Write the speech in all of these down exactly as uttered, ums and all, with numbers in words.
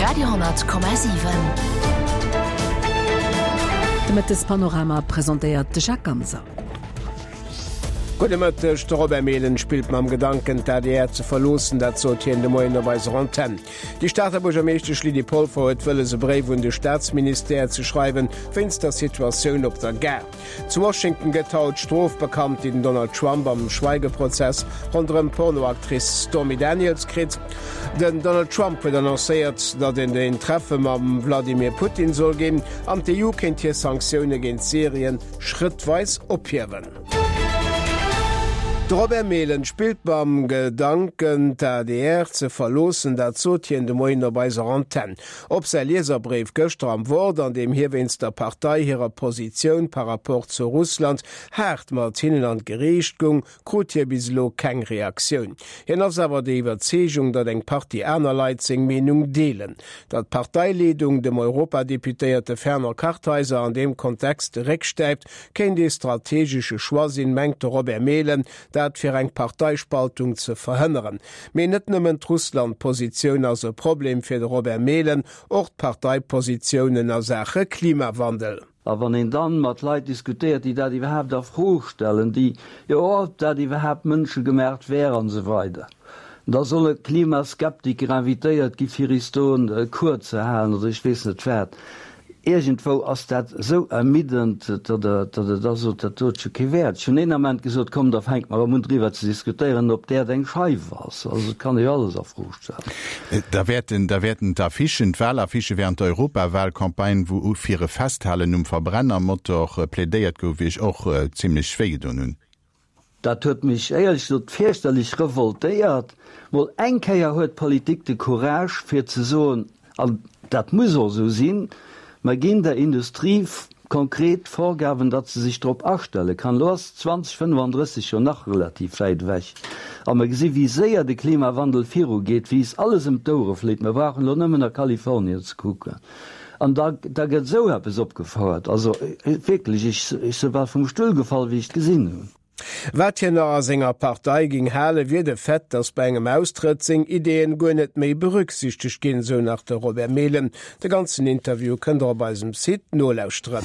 Radio honnert Komma siwen. De Mëttespanorama presentéiert de Jacques Ganser. Gudde Mëtteg, De Robert Mehlen spillt mam Gedanken, d'ADR ze verloossen. Dat sot hien de Moien op eiser Antenn. Déi Stater Buergermeeschtesch Lydie Polfer huet wëlles, e Bréif un de Staatsministère ze schreiwen, wéinst der Situatioun op der Gare. Zu Washington gëtt haut d'Strof bekannt, déi den Donald Trump am Schweigeprozess ronderëm d'Pornoactrice Stormy Daniels kritt. Den Donald Trump huet annoncéiert, datt et en Treffe mam Vladimir Putin soll ginn an d'EU kéint hir Sanktioune géint Syrien schrëttweis ophiewen. De Robert Mehlen spillt mam Gedanken, d'ADR ze verloossen. Dat sot hien de Moien op eiser Antenn. Op säi Lieserbréif gëschter am Wort, an deem hie wéinst der Partei hirer Positioun par rapport zu Russland haart mat hinnen an d'Geriicht goung, krut hie bis elo keng Reaktioun. Hien ass awer der Iwwerzeegung, datt eng Partie aner Leit seng Meenung deelen. Datt d'Parteileedung dem Europadeputéierte Fernand Kartheiser an deem Kontext de Réck stäipt, kéint ee strategesche Choix sinn, mengt de Robert Mehlen, dat fir eng Parteispaltung ze verhënneren. Mee net nëmmen d'Russland-Positioun ass e Problem fir de Robert Mehlen, och d'Parteipositiounen a Saache Klimawandel. A wann een dann mat Leit diskutéiert, déi dat iwwerhaapt a Fro stellen, déi, jo, ob dat iwwerhaapt mënschegemacht wär an esou weider, da solle Klimaskeptiker invitéiert gi fir is do e Cours ze halen oder ech weess net wat. Iergendwou ass dat esou ermiddend, datt Der, datt Der da sot, dat do huet scho kee Wäert. Ech hunn een Ament gesot, komm, da fänke mer erëm un driwwer ze diskutéieren, ob d'Äerd eng Scheif ass. Also et kann ee jo alles a Fro stellen. Da wäerten, da wäerten d'Affichen, d'Wahlaffichë während der Europawahlcampagne, wou fir e Festhalen um Verbrennermotor plädéiert gouf, Iech och zimlech wéigedoen hunn. Dat huet mech éierlech gesot fierchterlech revoltéiert. Mol eng Kéier huet d'Politik de Courage fir ze soen, an dat muss och esou sinn, mer ginn der Industrie konkret Vorgaben, datt se sech drop astelle kann. Elo ass zwanzeg fënnefandrësseg jo nach relativ wäit ewech a mer gesi wéi séier de Klimawandel virugeet, wéi is alles ëm d'Ouere fléit. Mer brauchen elo nëmmen a Kalifornien ze kucken an da da gëtt esou eppes opgefouert. Also wierklech, ech ech si bal vum Stull gefall, wéi ech et gesinn hunn. Wat hien nach a senger Partei géing halen, wier de Fait, datt bei engem Austrëtt seng Ideeën guer net méi berücksichtegt ginn, sou nach de Robert Mehlen. De ganzen Interview kënnt der op eisem Site nolauschteren.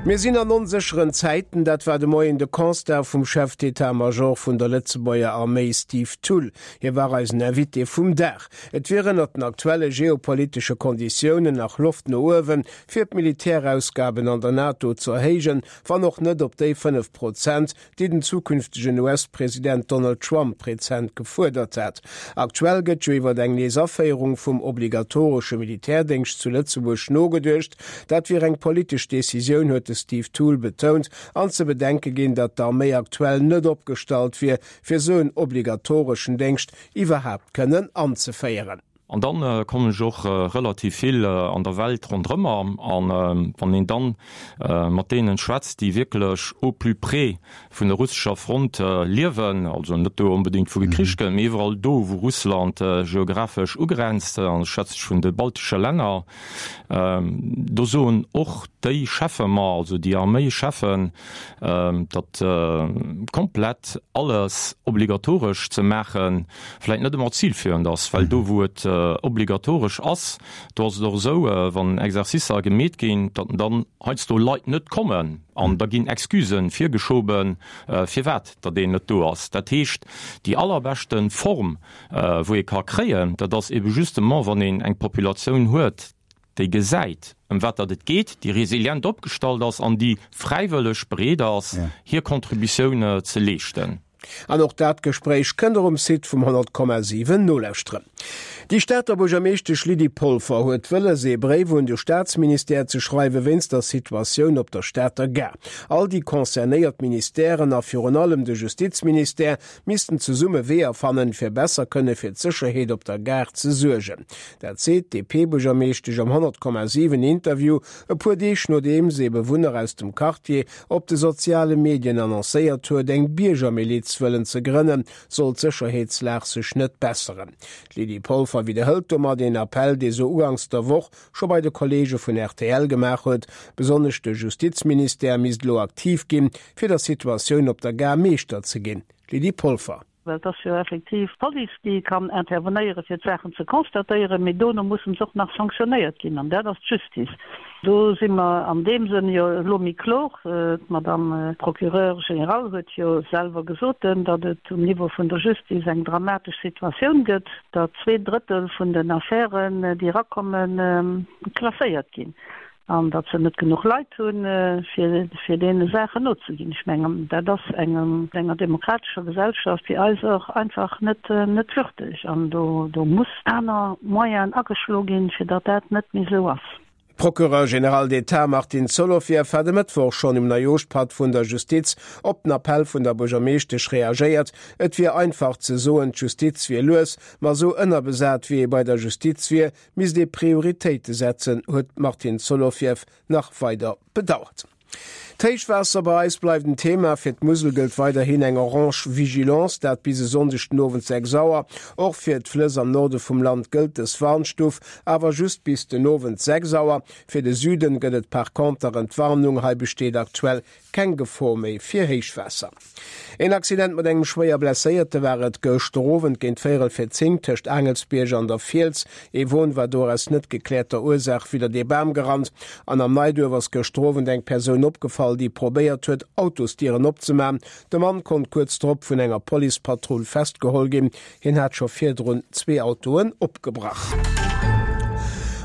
Mir sinn an onsécheren Zäiten, dat war de Moien de Constat vum Chef d'état-major vun der Lëtzebuerger Arméi Steve Thull. Hie war eisen Invité vum Dag. Et wier ënnert den aktuelle geopolitesche Konditiounen nach Loft no uewen, fir d'Militärausgaben an der NATO ze erhéijen, wann och net op déi fënnef Prozent, déi den zukünftegen U S-President Donald Trump rezent gefuerdert hat. Aktuell gëtt jo iwwer eng nees Aféierung vum obligatoresche Militärdéngscht zu Lëtzebuerg nogeduecht. Dat wier eng politesch Decisioun, huet de Steve Thull betount an ze bedenke ginn, datt d'Arméi aktuell net opgestallt wier, fir esou en obligatoreschen Déngscht iwwerhaapt kënnen anzeféieren. An dann kommen ech och relativ vill an der Welt ronderëmmer an wann een dann mat deenen schwätzt, déi wierklech au plus près vun der russescher Front liewen, also net do onbedéngt wou gekricht gëtt, mee iwwerall do wou Russland geographesch ugrenzt, an ech schwätze vun de baltesche Länner, do soen och déi Cheffe mer, also déi Arméischeffen, datt komplett alles obligatoresch ze maachen, vläicht net ëmmer zilführend ass, well do wou et obligatoresch ass, do ass et och esou, wann Exercicer gemeet ginn, datt dann heiansdo Leit net kommen an da ginn Excusen virgeschoben, firwat datt een net do ass. Dat heescht, déi allerbeschte Form wou ee ka kréien, dat ass ebe justement wann een eng Populatioun huet, déi gesäit, ëm wat datt et geet, déi resilient opgestallt ass an déi fräiwëlleg bereet ass, hir Contributioun ze leeschten. An och dat Gespréich kënnt der um Site vum honnert Komma siwen nolauschteren. Déi Stater Buergermeeschtesch Lydie Polfer huet wëlles, ee Bréif un de Staatsministère ze schreiwe wéinst der Situatioun op der Stater Gare. All déi concernéiert Ministèren a virun allem de Justizministère missten zesumme Weeër fannen, fir besser kënne fir d'Sécherheet op der Gare ze suergen. Dat seet d'DP-Buergermeeschtesch am honnert Komma siwen Interview, e puer Deeg nodeems ee Bewunner aus dem Quartier op de soziale Medien annoncéiert huet, eng Biergermiliz wëllen ze grënnen, sollt d'Sécherheetslag sech net besseren. D'Lydie Polfer widderhëlt domat een Appell, dee se uganks der Woch scho bei de Kolleege vun rtl gemaach huet. Besonnesch de Justizministère misst elo aktiv ginn, fir der Situatioun op der Gare Meeschter ze ginn. Lydie Polfer. Well et ass jo effektiv d'Police, déi kann intervenéieren, fir d'Saachen ze constatéieren, mee dono mussen se och nach sanktionéiert ginn, an dat ass d'Justice. Do si mer an deem Sënn jo elo méi klor. D'Madame Procureure générale huet jo selwer gesot, datt et um Niveau vun der Justice eng dramatesch Situatioun gëtt, datt zwee Drëttel vun den Affären, déi erakommen, klasséiert ginn. An datt se net genuch Leit hunn, fir deene Saachen nozeginn. Ech mengen, dat ass engem, enger demokratescher Gesellschaft wéi eiser einfach net, net würdeg. An do, do muss aner Moyenen ageschlo ginn, fir datt dat net méi esou ass. D'Procureure générale d'État Martine Solovieff hat e Mëttwoch schonn um Neijooschpatt vun der Justiz op den Appell vun der Buergermeeschtesch reagéiert. Et wier einfach ze soen, d'Justiz wier lues, ma esou ënnerbesat wéi ee bei der Justiz wier, misst ee Prioritéite setzen, huet d'Martine Solovieff nach weider bedauert. D'Héichwaasser bei eis bleift en Thema. Fir d'Musel gëllt weiderhin eng orange Vigilance, dat bis e Sonndeg den Owend sechs Auer. Och fir d'Flëss am Norde vum Land gëllt dës Warnstuf, awer just bis den Owend sechs Auer. Fir de Süden gëtt et par conter Entwarnung, hei besteet aktuell keng Gefor méi fir Héichwaasser. Een Accident mat engem schwéier Blesséierte war et gëschter Owend géint véierel vir zéng tëscht Aangelsbierg an der Fiels. Ee Won war do aus net gekläerter Ursaach widdert ee Bam gerannt. An am Neiduerf ass gëschter Owend eng Persoun opgefall, déi probéiert huet, Autosdieren opzemaachen. De Mann konnt kuerz drop vun enger Policepatrull festgeholl ginn. Hien hat scho virdrun zwee Autoen opgebrach.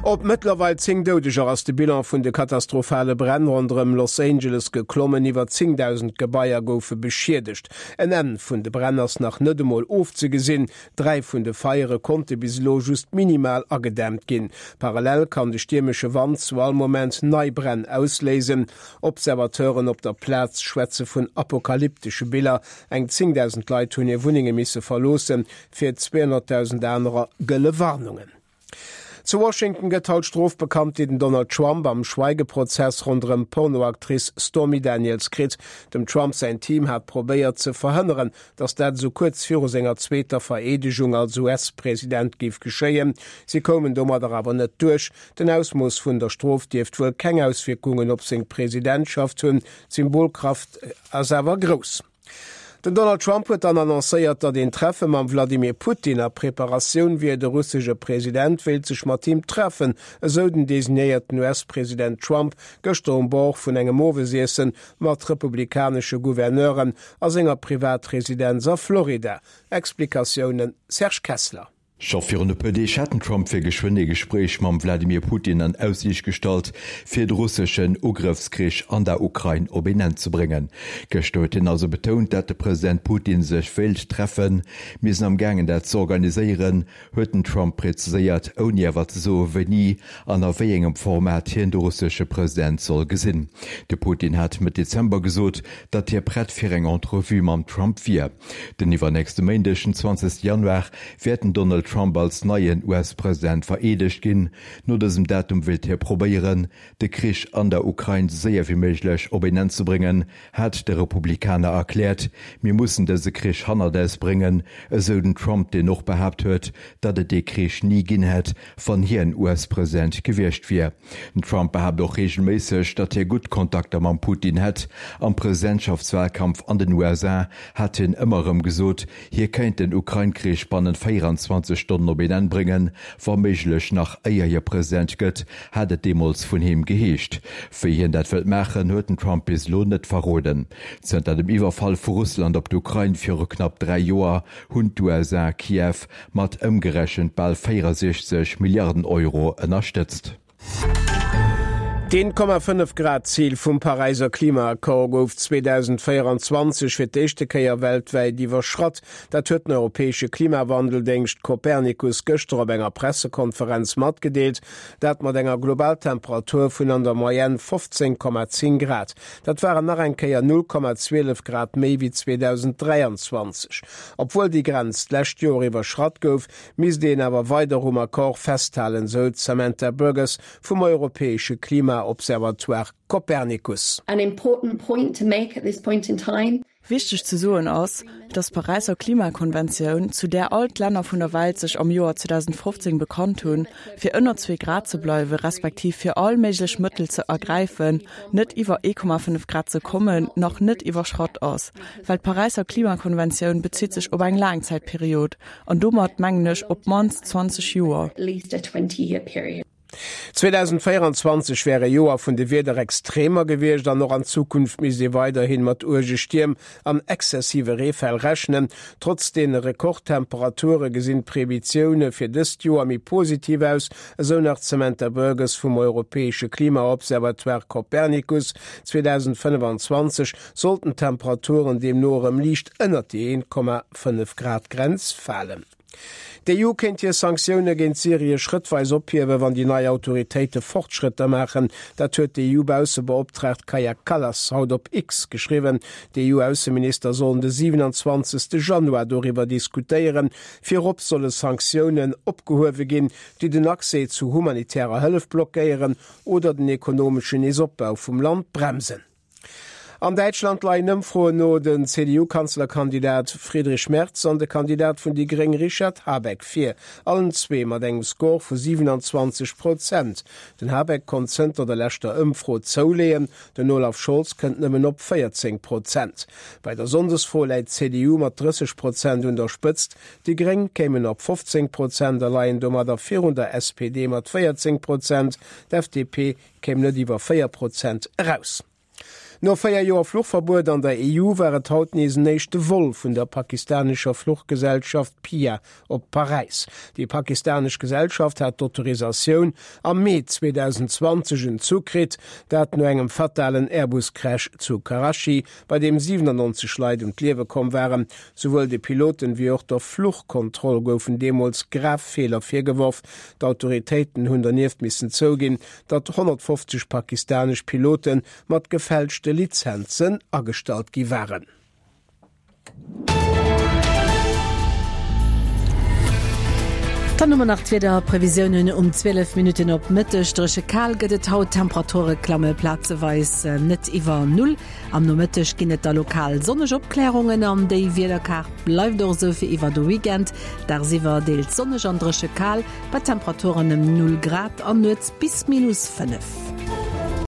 Op mëttlerweil zéng Doudeger ass de Bilan vun de katastrophale Bränn ronderëm Los Angeles geklommen. Iwwer zéngdausend Gebaier goufe beschiedegt. En Enn vun de Bränn ass nach net emol ofzegesinn. Dräi vun de Feiere konnte bis elo just minimal agedämmt ginn. Parallel kann de stiermesche Wand zu all Moment nei Bränn ausléisen. Observateuren op der Plaz schwätze vun apokalyptesche Biller. Eng zéngdausend Leit hunn hir Wunnenge misse verloossen, fir zweehonnertdausend anerer gëlle Warnungen. Zu Washington gëtt haut d'Strof bekannt, déi den Donald Trump am Schweigeprozess ronderëm d'Pornoactrice Stormy Daniels kritt. Dem Trump säin Team hat probéiert ze verhënneren, datt dat esou kuerz viru senger zweeter Vereedegung als U S-President géif geschéien. Si koumen domadder awer net duerch. Den Ausmooss vun der Strof dierft wuel keng Auswierkungen op seng Presidentschaft hunn, d'Symbolkraft ass awer grouss. Den Donald Trump huet dann annoncéiert, datt een Treffe mam Wladimir Putin a Preparatioun wier. De russesche President wéilt sech mat him treffen, esou den designéierten U S-President Trump gëschter um Bord vun engem Owesiesse mat republikanesche Gouverneuren a senger Privatresidenz a Florida. Explikatiounen Serge Kessler. Scho virun e puer Deeg hat den Trump fir geschwënn ee Gespréich mam Wladimir Putin an Aussiicht gestallt, fir de russeschen Ugrëffskrich an der Ukrain op een Enn ze bréngen. Gëschter huet hien also betount, dat de President Putin sech wéilt treffen. Mir sinn am gaangen dat ze organiséieren, huet den Trump präziséiert, ouni awer ze soe wéini an a wéi engem Format hien de russesche President soll gesinn. De Putin hat Mëtt Dezember gesot, datt hie prett fir eng Entrevue mam Trump wier. Den iwwernächste Méindeg, den zwanzegste Januar, wäert den Donald Trump als neien U S-President vereedegt ginn. No dësem Datum wéilt hie probéieren, de Krich an der Ukrain sou séier wéi méiglech op een Enn ze bréngen, hat de Republikaner erkläert. Mir mussen dëse Krich hannert eis bréngen, esou den Trump, deen och behaapt huet, datt et dee Krich ni ginn hätt, wann hien U S-President gewiescht wier. Den Trump behaapt och reegelméisseg, datt hie gutt Kontakter mam Putin hätt. Am Presidentschaftswalkampf an den U S A hat hien ëmmer erëm gesot, hie kéint den Ukrain-Krich bannent véieranzwanzeg Stonnen op een Enn bréngen, wa méiglech nach éier hie President gëtt, hat et deemools vun him geheescht. Wéi hien dat wëllt maachen, huet den Trump bis elo net verroden. Zënter dem Iwwerfall vu Russland op d'Ukrain viru knapp dräi Joer hunn d'U S A Kiew mat ëmgerechent bal véierundsechzeg Milliarden Euro ënnerstëtzt. D'Een Komma fënnef Grad Zil vum Paräiser Klimaaccord gouf zweedausendvéierundzwanzeg fir d'éischte Kéier weltwäit iwwerschratt. Dat huet den europäesche Klimawandeldéngscht Copernicus gëschter op enger Pressekonferenz matgedeelt. Dat mat enger Globaltemperatur vun an der Moyenne fofzéng Komma zéng Grad. Dat waren nach eng Kéier null Komma zwielef Grad méi wéi zweedausendräianzwanzeg. Obwuel déi Grenz d'lescht Joer iwwerschratt gouf, misst een awer weider um Accord festhalen, sou d'Samantha Burgess vum europäesche Klimaobservatoire Copernicus. An important point to make at this point in time. Wichteg ze soen ass, datt d'Paräisser Klimakonventioun, zu där all d'Länner vun der Welt sech am Joer zweedausendfofzéng bekannt hunn, fir ënner zwee Grad ze bleiwe respektiv fir all méiglech Mëttel ze ergräifen, net iwwer ee Komma fënnef Grad ze kommen, nach net iwwerschratt ass. Well d'Paräisser Klimakonventioun bezitt sech op eng Laangzäitperiod, an domat mengen ech op d'mannst zwanzeg Joer. zweedausendvéierenzwanzeg wär e Joer vun de Wiederextremer gewiescht an och an Zukunft misst ee weiderhi mat uerge Stierm an exzessive Reefäll rechnen. Trotz deene Rekordtemperature gesinn d'Previzioune fir dëst Joer méi positiv aus, esou nach d'Samantha Burgess vum europäesche Klimaobservatoire Copernicus. zweedausendfënnefenzwanzeg sollten d'Temperaturen deemno erëm liicht ënnert déi eent Komma fënnef Grad Grenz falen. D'EU kéint hir Sanktioune géint Syrie schrëttweis ophiewen, wann déi nei Autoritéite Fortschrëtter maachen. Dat huet d'EU-Baussebeoptraagt Kaja Kallas haut op X geschriwwen. D'EU-Ausseminister sollen de siwenanzwanzegste Januar doriwwer diskutéieren. Virop solle Sanktiounen opgehuewe ginn, déi den Accès zu humanitärer Hëllef blockéieren oder den ekonomeschen Neesopbau vum Land bremsen. An Däitschland leien Ëmfroen no den C D U-Kanzlerkandidat Friedrich Merz an de Kandidat vun déi Gréng Richard Habeck vir, allen zwee mat engem Score vu siwenanzwanzeg Prozent. Den Habeck konnt zënter der leschter Ëmfro zouleeën, den Olaf Scholz kënnt nëmmen op véierzéng Prozent. Bei der Sonndesfro läit d'C D U mat drësseg Prozent un der Spëtzt, déi Gréng kéimen op fofzéng Prozent a leien domadder virun der S P D mat véierzéng Prozent, d'F D P kéim net iwwer véier Prozent eraus. No véier Joer Fluchverbuet an der E U war et haut nees en éischte Vol vun der pakistanescher Fluchgesellschaft P I A op Paräis. Déi pakistanesch Gesellschaft hat d'Autorisatioun am Mee zweedausendzwanzeg entzu kritt, dat no engem fatalen Airbus-Crash zu Karachi, bei deem siwenannonzeg Leit ëm d'Liewe komm waren. Souwuel de Piloten wéi och der Fluchkontroll goufen deemools grav Feeler virgeworf. D'Autoritéiten hunn dernieft missen zouginn, datt honnertfofzeg pakistanesch Pilote mat gefälschte Lizenzen agestallt gi waren. Dann hu mer nach d'Wiederprevisiounen um zwielef Minutten op Mëtteg. Dréche kal gëtt et haut, d'Temperature klamme plazeweis net iwwer Null. Am Nomëtteg ginn et da lokal sonneg Opklärungen an déi Wiederkaart bleift och esou fir iwwer de Weekend. Dagsiwwer deels sonneg an dréche kal, bei Temperaturen ëm Null Grad an nuets bis minus fënnef.